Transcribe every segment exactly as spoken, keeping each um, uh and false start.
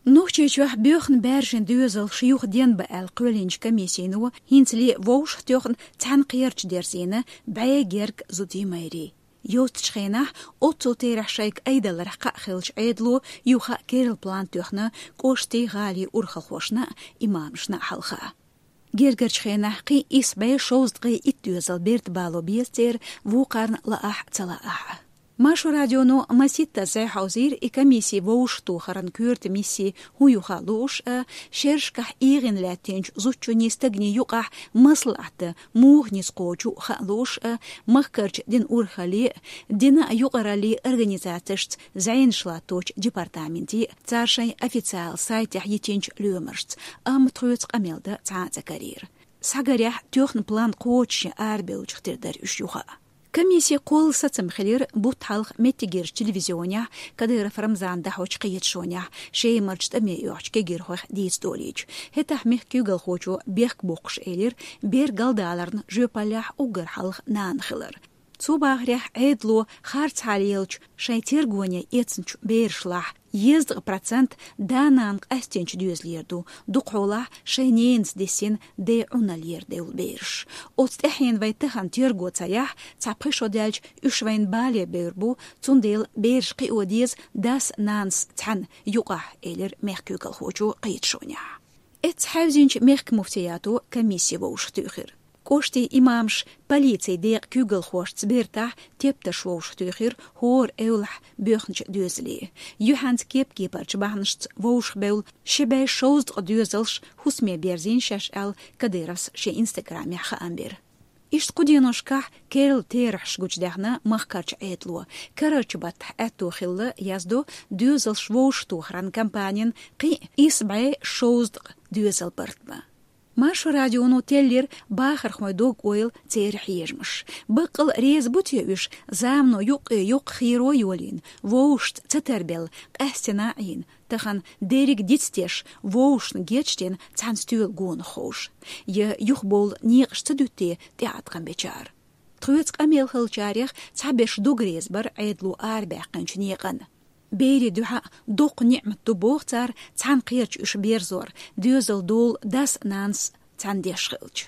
Нохчийчохь боьхна баьржина доьзалш юха денбан аьлла кхоьллинчу комиссино хӀинцале вовшахтоьхна цхьаьна кхерча дерзийна бӀе герга зудий, майрий. Йоццачу хенахь оццул терахь шайга айдаларх кхаъ хиллачу Ӏедало юха а керла план тоьхна кӀоштий, гӀалий урхалхошна а, имамашна а хьалха. Гергарчу хенахь кхин а исс бӀе шовзткъе итт доьзал берта бало беза церан, вукхарна лаахь а, ца лаахь а. Маршо радионо маситтаза хьовзийра и комисси вовшахтохаран коьрта мисси хӀун ю хаа лууш а, шерашкахь эгӀина лаьттинчу зудчунний, стагний юкъахь маслаӀат муха ницкъ кхочу хаа лууш а, махкарчу дина урхалле а, дина а юкъараллин организацешца зӀенаш латточу департаменте а, цара шайн официал сайтехь йитинчу лоьмаршца, амма тхоьца къамел дан цхьа а ца карийра. Схьагарехь, тоьхна план кхочушъян арабевллачух тера дара уьш юха а. Комиссин кхолла сацам хилира бутт хьалха меттигерчу телевизионехь Кадыров Рамзана дӀахьочу кхеташонехь, Шемарчу тӀаме оьхучу кегийрхойх дийца долийча. ХӀетахь мехкан куьйгалхочо бехк боккхуш элира бер галдаларна жоьпаллехь уггар хьалха нана хилар. Цо бахарехь, Ӏедало харцхьа лелачу шайн тергоне эцначу берашлахь езткъа процент да-нана къаьстинчу доьзалера ду, дукхахьолахь шайн ненас диссина ден Ӏуналлера девлла бераш. Оцу тӀаьхьенна вай тахана терго ца яхь, цхьа пхи шо даьлча уьш вайна бале бевр бу, цундела бераш кхио деза дас-нанас цхьаьна юкъахь, элира мехкан куьйгалхочо кхеташонехь. Эцца хьаьвзинчу мехкан муфтиято комисси вовшахтуьйхира. КӀоштийн имамаш полицин декъан куьйгалхошца бертахь тептарш вовшахтуьйхира хӀора эвлахь боьхначу доьзале. Юьхьанца кеп-кепарчу бахьанашца вовшахбевлла ши бӀе шовзткъа доьзалш хӀусаме берзийна шаьш аьлла, Кадыровс шен инстаграмехь хаам бира. Иштта кху деношкахь керла терахьаш гучудаьхна махкарчу Ӏедало. Карарчу баттахь аьтто хилла, яздо, доьзалш вовшахтохаран кампанин кхин а исс бӀе шовзткъа доьзал барт бан. Маршо радионо теллира бахархойн дог-ойла, церан хьежамаш. Баккъал а реза бу те уьш замано юккъе-юккъе хийро йолийна, вовшашца ца тарбелла, къаьстина а Ӏийна, тахана дерриг а дицдеш, вовшашна гечдина цхьана стоьла гонах ховш, я юхабовла некъаш ца дуьтте тӀеӀаткъам бечара? Тхоьца къамел хиллачарех цхьаберш дог реза бара Ӏедало арабаьккхинчу некъан. Берийн дуьхьа доккха ниӀмат ду, боху цара, цхьаьна кхерча уьш берзор, доьзал долу дас-нанас цхьаьна деш хилча.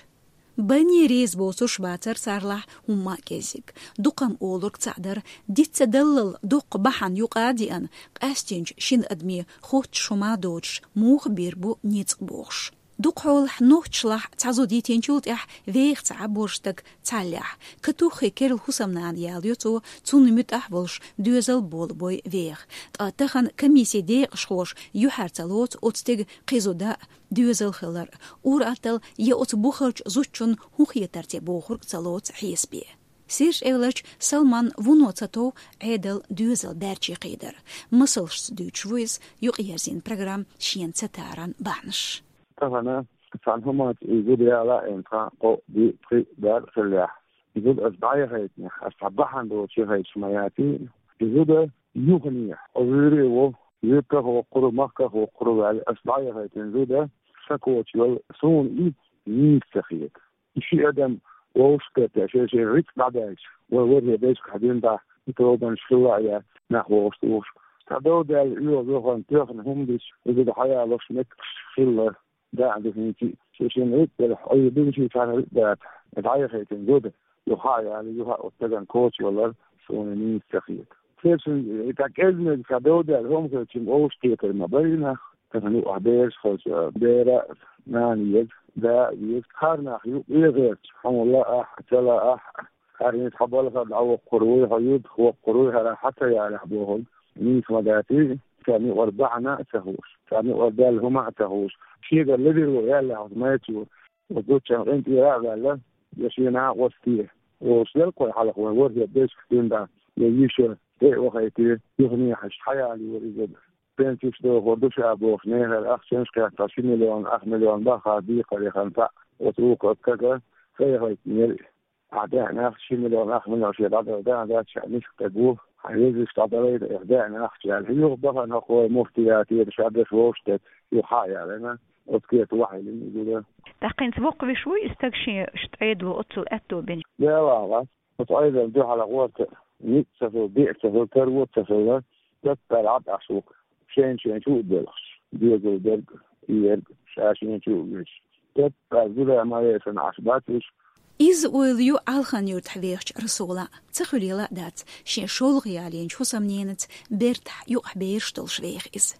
Банне реза боцурш бацара царлахь хӀумма а кӀеззиг. Дукха-м олург цхьаъ дара, диц ца даллал доккха бахьана юкъа а деана, къаьстинчу шина адаме хоттуш хӀума доцуш муха бийр бу ницкъ бохуш. Дукхахьолахь нохчашлахь цхьа зуда йитинчул тӀаьхьа веха ца Ӏа борш стаг цхьаллехь. Катуххи керла хӀусамнана ялайо цо, цунна муьтӀахь а волуш доьзал болабой веха. Ткъа тахана комиссин декъашхоша юьхьар ца лоцу оцу стеган кхин зуда а, доьзал хилар а, ур-атталла я оцу бухарчу зудчунна хӀун хетар те бохург а ца лоцу хьесапе. Сирж эвларчу Салман вуно ца тов Ӏедал доьзал баьрче кхийдар. Масалшца дуьйцуш ву иза юкъаерзийна программа шена ца таран бахьанаш. Тахана цхьана хӀуманца и зуда яла а, тхан кхоъ, диъ, пхиъ, бархӀ хиллехь, и зуда аса дӀаяхайтинехь, аса цхьа бахьана доцуш яхайташ ма яций, и зуда юханехьа, хьо вуьйре а во, юьртах а воккхур ву, махках а воккхур ву ваьлла, аса дӀаяхайтина зуда сан коча йолу, суна и нийса ца хета. И ши адам вовшахкхетта, шайн-шайн рицкъ дӀадаьлча, вай ворхӀе дайшкахь дина дӀа, и тобанаш хилла а яц, нах вовшахтухуш. Цхьа дов даьлла, оьгӀаз вахана тоьхна хӀума дича, и зуда хьаялош меттигаш хилла, даа ду хӀинца а. Шен-шен рицкъ делахь, Ӏуьйра дина шен цхьана рицкъ дац, дӀаяхайтина зуда, юха а яьлла, юха а оцу стагана коча йолар суна нийса ца хета. Церан и тӀаккха кӀезмеза ца довдаьлла хӀума хилча, вовшахкхетар ма бара и нах. Тахана юкъахь бераш хилча, бера а, нана а еза, да а веза. ХӀара нах ю, эгӀерча, хьуна лаахь а, ца лаахь а. ХӀара хӀинца хьан балхара дӀавоккхур вуй, хьо юьртах воккхур вуй, хӀара хьан ца ялахь бохург нийса ма дац и, царна юкъара бахьана а ца хууш, царна юкъара даьлла хӀума а ца хууш. Шегара ледарло яьллехь оцу майрачо, оцу зудчун къинтӀера а ваьлла, я шен накъостий, олуш дара-кх вай хьалха, вайн ворхӀе дайшкахь дина дӀа, я йиша тӀе а вахийтира, юханехьа хьаялайора иза. Пенсеш дохур ду ша бохуш, нехера ахчанаш а кхетта, ши миллион, ах миллион баххара декхаре хан цхьаъ оцу вукху стага ца яхийтинера. Ахьа деана ахча, ши миллион, ах миллион шен дӀадала деана дац, ша миска стаг ву, хьан везаш дӀадалайта, эх, деана ахча аьлла. Юха бахана хӀокху вай муфтиятера ша деш вовшахтетташ, юха хьа а ялийна, оцу кепе вахьийлина и зуда. ТӀаккха хӀинца воккхавеш вуй и стаг, шен Ӏедало оццул аьтто бина? Дела вац. Оцу Ӏедална дуьхьал гӀорта ницкъ ца хилла, биъ ца хилла, тара вон ца хилла, даккхара Ӏад Ӏаш ву-кх, шен-шен чу а белхаш. Доьзал дерг, и ерг, ша шен чу а вуьйш. Тетта зуда ма вешан Ӏаш бац уьш. Иза ойла ю Ӏалхан-Юртахь вехачу Расулан. Ца хуьлийла а дац, шен шолгӀа ялийначу хӀусамненаца бертахь юкъахь бераш долуш веха иза.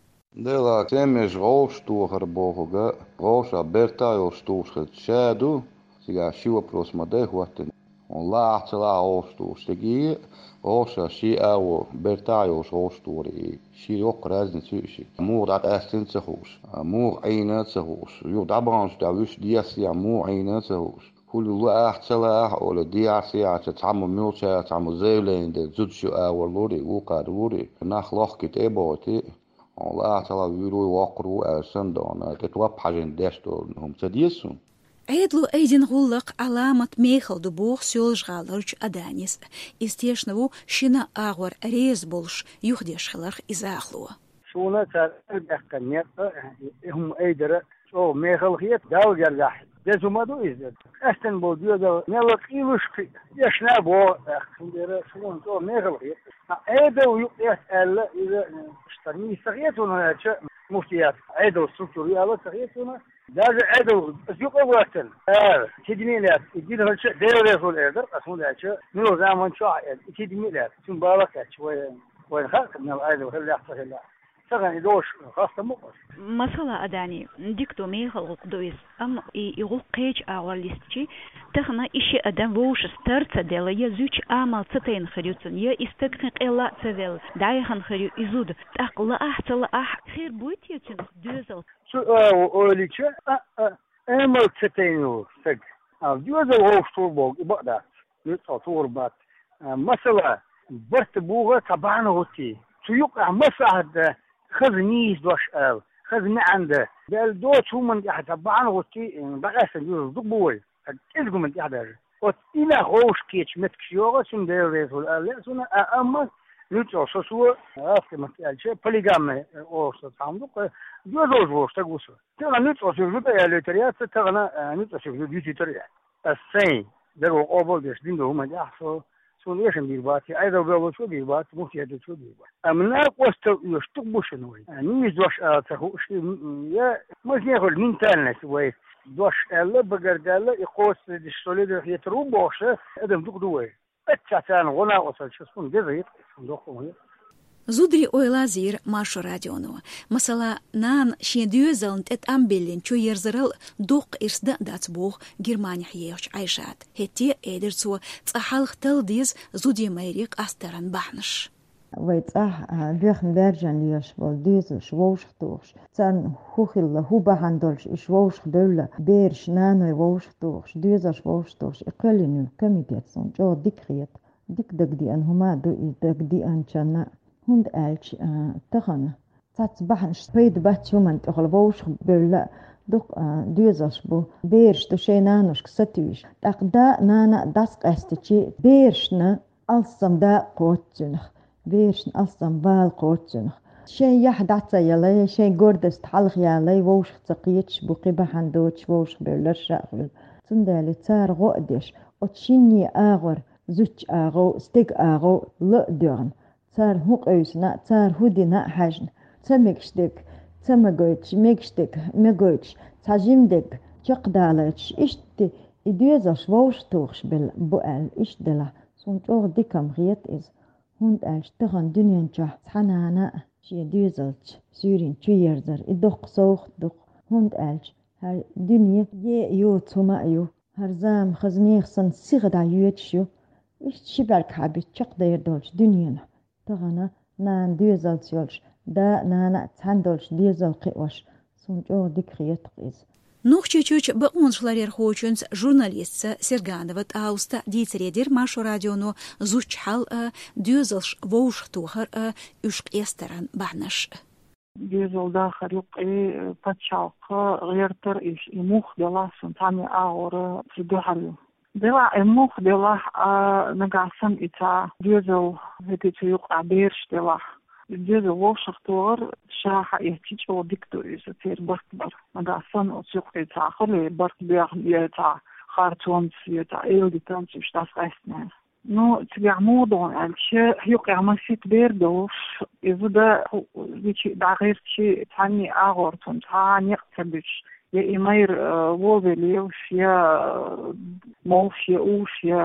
Дела, цемеш гӀовш тохар бохург, гӀовша бертахь йолуш тухуш хилча ша ду, цигахь ши вопрос ма дай хӀоттина. Хьуна лаахь а, ца лаахь а гӀовш тухуш стеге, гӀовша ши агӀо бертахь а йолуш гӀовш тухур и. Ши йоккха разница ю и ши. Муха дӀакъаьстина ца хууш, муха Ӏийна ца хууш, юха дӀабаханчу тӀехь вуьш дехьа муха Ӏийна ца хууш. Хуьлу лаахь а, ца лаахь а олий, дехьа-сехьа цхьаммо муьлхачара цхьаммо заявление дерг зудчу агӀор лур и, вукхара лур и, нах лохкий тӀе а бохуьйтий. Хьуна лаахь а, ца лаахь а вуьйр ву, воккхур ву аьлла санна догӀу, тӀе топ хьажийна деш долу хӀума ца деза суна. Ӏедало айдина гӀуллакх Ӏаламат мехала ду боху Соьлжа-ГӀаларчу Аданис. Иза тешна ву шина агӀор реза болуш юхадеш хиларх иза ахало. Суна цара арадаьккхина некъ, и хӀума айдара чӀогӀа мехала хета, Далла гергахь деза хӀума ду иза. Къаьстина болу доьзал мелла къийлуш кхин а, эшна а боху, цундела суна чӀогӀа мехала хета. Ткъа Ӏедал юкъа эцна аьлла, иза, э, иштта нийса ца хета суна, хӀунда аьлча муфтият Ӏедал структура ю аьлла ца хета суна. Даже Ӏедал аса юкъа а ваьттина, ара, кидаме а лаьцна, и динарча а Дела реза хуьлда эр дара, аса хӀунда аьлча, муьлха заман чохь а эр, и кидаме а лаьцна, цуьнан бала кхаьчча, вай, вайна хаьа, мел Ӏедал хилла, ца хилла. Тахана и долуш хастам бу-кх аса. Масала, Адани, дика ду, мехала гӀуллакх ду иза, амма и, и гӀуллакх кхечу агӀор листичи, тахана и ши адам вовшашца тар ца делла, я зудчун амал ца тайна хир ю цунна, я и стаг кхин къелла а ца велла, дӀаяхана хир ю и зуда, тӀаккха лаахь а, ца лаахь а, хир буй те цуьнах доьзал? Цу агӀо олийча, а, а, амал ца тайна волу стаг. А, доьзал вовшахтухур бохург, и бакъ дац. Нуьцкъала тухур бац. А, масала, барт буху цхьа бахьана хӀуттий. Цу юкъахь маслахьат дан, хаза нийса дош ала, хаза маьӀна дан. Делла доцу хӀуманна тӀехь цхьа бахьана хӀуттий, дӀакъаьстина доьзал дукха бу вай. КӀезиг хӀуманна тӀехь даже. Оцу и нах вовшахкхеташ меттигаш йогӀу, цуьнан Дела реза хуьлда аьлла, суна, а, амма нуьцкъала со, со, гӀазкхийн маттахь аьлча, полигамный олуш со цхьа хӀума ду-кх, доьзалш волуш стаг ву со. Тахана нуьцкъала соьга зуда ялийтар яц, тахана, а, нуьцкъала соьга зуда ютийтар яц. Ас сайн дагахь къобал деш дина долу хӀуманна тӀехь со, суна эшам бийр бац, я Ӏедал бевллачо бийр бац, муфтият долчо бийр бац. Амма накъостал оьшуш дукха бу шуна вай. А, нийса дош ала ца хууш, м, я мазне хуьлу ментальность вай. Дош аьлла, багардаьлла, и кхоссадеш со ледара хетар ву бохуш, адам дукха ду вай. Аччахь царна гӀо накъосталча суна деза хета, суна доккха хӀума хета. Зударий ойла а зийра Маршо радионо. Масала, нана шен доьзална тӀе тӀам биллина чуерзарал доккха ирс дан а дац боху Германехь ехачу Ӏайшата. ХӀетте а элира цо, цкъа хьалха талла деза зудчун майре къастаран бахьанаш. Вай цӀахь, а, боьхна баьржина лелаш болу доьзалш вовшахтухуш, царна хӀун хилла, хӀун бахьана долуш уьш вовшахбевлла, бераш, наной вовшахтухуш, доьзалш вовшахтухуш, и кхоьллина йолу комитет суна чӀогӀа дика хета. Дика дагадеана хӀума а ду и дагадеанчунна, хӀунда аьлча, а, тахана цхьацца бахьанаш, пайда бац хӀуманна тӀехула, вовшахбевлла дукха, а, доьзалш бу, бераш ду шайн наношка сатуьйсуш. ТӀаккха да а, нана а дӀасакъаьстичи, берашна алссам дакъа кхочу цуьнах, берашна алссам бала кхочу цуьнах. Шайн яхь дӀа ца ялай, шайн гордость хьалха ялай, вовшах ца кхеташ бу, кхин бахьана доцуш вовшахбевлларш а хуьлу. Цундела цара гӀо а деш, оцу шинне агӀор, зудчун агӀор, стеган агӀор ла а доьгӀна, цара хӀун къевсина а, цара хӀун дина а хьаьжна, ца мегаш дерг ца магойтуш, мегаш дерг магойтуш, цхьа жима дерг чекхдалийтуш, иштта и доьзалш вовшахтухуш белла бу аьлла, иштта делахь, суна чӀогӀа дика-м хета иза. ХӀунда аьлча тахана дуьнен чохь цхьа нана а шен доьзалца суьйрана чуерзар, и доккха совгӀат ду-кх, хӀунда аьлча хӀара дуьне е а йоцу хӀума а ю, хӀара зама хаза нехан санна сиха дӀайоьдуш ю. Иштта ши бӀаьрг хьабита чекхдер долчу дуьненахь тахана нана доьзалца йолуш, да а, нана а цхьаьна долуш доьзал кхиош, суна чӀогӀа дика хета-кх иза. Нохчийчуьрчу бакъонашларъярхочуьнца, журналистца Серганова ТӀауста дийцаре дира Маршо радионо зудчун хьал а, доьзалш вовшахтохар а, уьш къестаран бахьанаш а. Доьзал дахар юкъе пачхьалкх гӀертар, и муха делахь а, цхьана агӀора ца дуьхьал ю. Делахь а, и муха делахь а, нагахь санна и цхьа доьзал, хӀетте цу юкъахь бераш делахь а, и доьзал вовшахтохар ша хьаэцча чӀогӀа дика ду иза, церан барт бар. Нагахь санна оцу юкъе цхьа хуьлий, барт боьхна, я цхьа харцонца, я цхьа эладитанца уьш дӀасакъаьстинехь. Ну, цигахь муха ду аьлча, юкъехь масийтта бер долуш, и зуда хӀу-, вичи дӀагӀирчи, цхьанний агӀор цунна цхьа а некъ ца буьтуш, я и майра, э, вовелла лелаш, я, э, молуш, я уьш, я,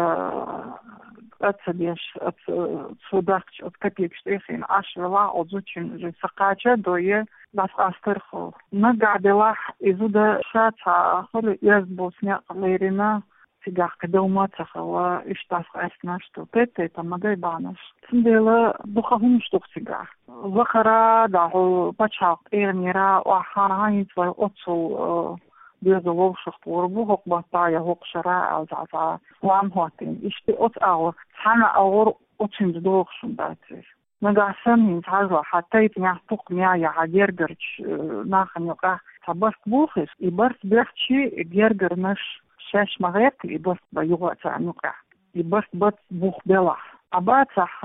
э, цӀа ца деш, оцу, э, цо дахча оцу капекаш тӀехийна Ӏаш велахь, оцу зудчун уже ца кхача а дой, я дӀасакъастар хьо. Нагахь делахь, и зуда ша цхьа хуьлу, оьзда боцу некъ лерина, цигахь кхин дов ма ца хилла, иштта дӀасакъаьстинарш ду, тайп-тайпана ма дай бахьанаш. Цундела дукха хӀуманаш ду-кх цигахь. Вахара, дӀа хьо пачхьалкх тӀегӀанера, охьа, хьан хӀинца вай оццул, э, доьзал вовшахтохур бу хӀокху баттахь я хӀокху шарахь аьлла, цхьа, цхьа лам хӀоттийна. Иштта оцу агӀор, цхьана агӀор оцуьнца догӀуш хӀума дац иза. Нагахь санна хӀинца хьажал, хьан тайпанехь, пукханехь я хьан гергарчу, э, нахана юкъахь цхьа барт бохуш, и барт бехчи, и гергарнаш шаьш ма гӀерта, и барт бан юха а царна юкъахь. И барт бац бух белахь. А бацахь,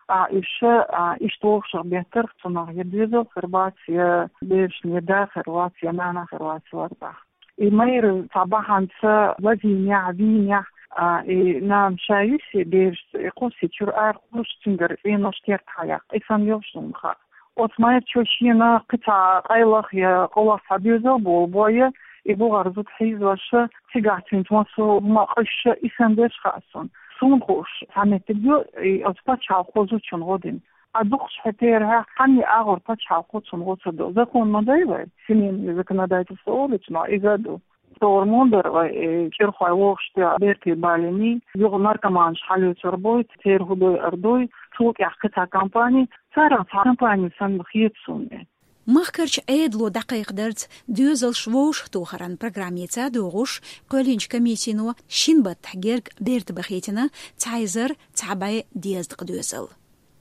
а, уьш, а, иштта вовшах беттарх цунах я доьзал хир бац, я берашна я да хир вац, я нана хир вац лардахь. И майра цхьа бахьанца лазийнехь, вийнехь, а, и нана ша юьсу берашца, и кхуссий чуьра ара кхуллуш, цуьнгара цӀенош керта хьаяккха. И санна йолуш ду-м хаьа. Оцу майрачо шена кхин цхьа къайлах я къовлах цхьа доьзал болу бой, и бухара зуда хьийзош, цигахь цуьнца массо а хӀума къуьйсуш, и санна дерш хаьа суна. Суна хууш цхьа меттиг ю, и оцу пачхьалкхо зудчунна гӀо дина. А дукхачу хьетера хьан и агӀор пачхьалкхо цунна гӀо ца до. Закон ма дай вай, семейное законодательство олучу ма иза а ду. Товр мундара вай, э, кӀирхой вовшахтоьхна бертий балиний, юха наркоманаш хьалоьцур буй, церан хӀу дойур дуй, цул тӀаьхьа кхин цхьа компани, царах цхьа компани санна хета суна. Махкарчу Ӏедало дӀакхайкхадарца доьзалш вовшахтохаран программица догӀуш, кхоьллинчу комиссино шина баттахь герга берта бахийтина цхьа эзар цхьа бӀе дезткъа доьзал.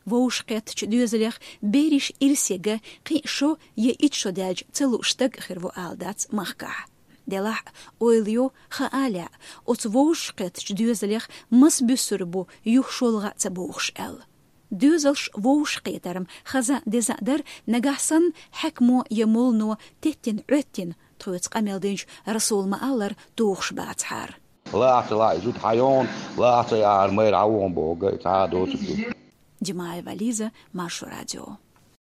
Вовшахкхеттачу доьзалех берриш ирсе ган кхин а шо я итт шо даьлча ца лууш стаг а хир ву ала дац махкахь. Делахь а, ойла йо, хаа лаьа, оцу вовшахкхеттачу доьзалех маса буьсур бу юха шолгӀа а ца бохуш аьлла. Доьзалш вовшахкхетар-м хаза а, деза а дара, нагахь санна хьаькамо я моллано теттина, Ӏоьттина, тхоьца къамел динчу Расула ма-аллара, тухуш бацахьара. Лаахь ца лаахь, и зуда хьайогӀу, лаахь ца яхьара, майра хьан вогӀу боху, ган и цхьа а доцург ду. Димаева Лиза, Маршо радио.